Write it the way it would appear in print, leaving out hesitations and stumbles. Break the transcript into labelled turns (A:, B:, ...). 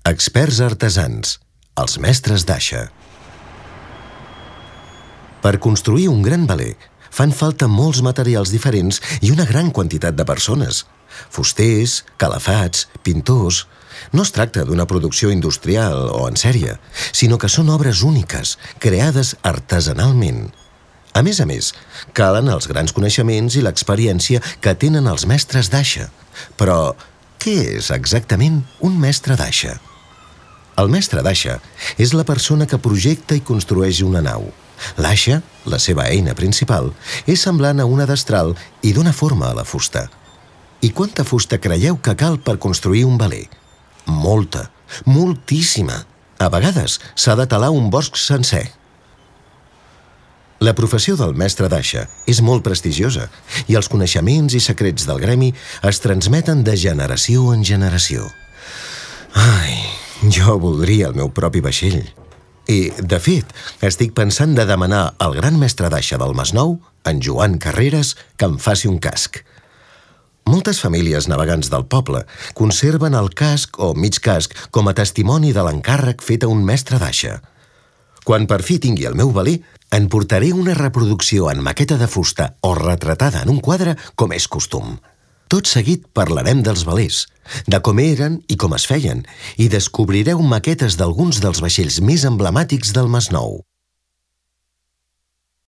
A: Experts artesans, els mestres d'aixa. Per construir un gran veler fan falta molts materials diferents i una gran quantitat de persones. Fusters, calafats, pintors... No es tracta d'una producció industrial o en sèrie, sinó que són obres úniques, creades artesanalment. A més, calen els grans coneixements i l'experiència que tenen els mestres d'aixa. Però què és exactament un mestre d'aixa? El mestre d'aixa és la persona que projecta i construeix una nau. L'aixa, la seva eina principal, és semblant a una destral i dona forma a la fusta. I quanta fusta creieu que cal per construir un veler? Molta, moltíssima. A vegades s'ha de talar un bosc sencer. La professió del mestre d'aixa és molt prestigiosa i els coneixements i secrets del gremi es transmeten de generació en generació. Ai, jo voldria el meu propi vaixell. I, de fet, estic pensant de demanar al gran mestre d'aixa del Masnou, en Joan Carreras, que em faci un casc. Moltes famílies navegants del poble conserven el casc o mig casc com a testimoni de l'encàrrec fet a un mestre d'aixa. Quan per fi tingui el meu veler, en portaré una reproducció en maqueta de fusta o retratada en un quadre com és costum. Tot seguit parlarem dels velers, de com eren i com es feien, i descobrireu maquetes d'alguns dels vaixells més emblemàtics del Masnou.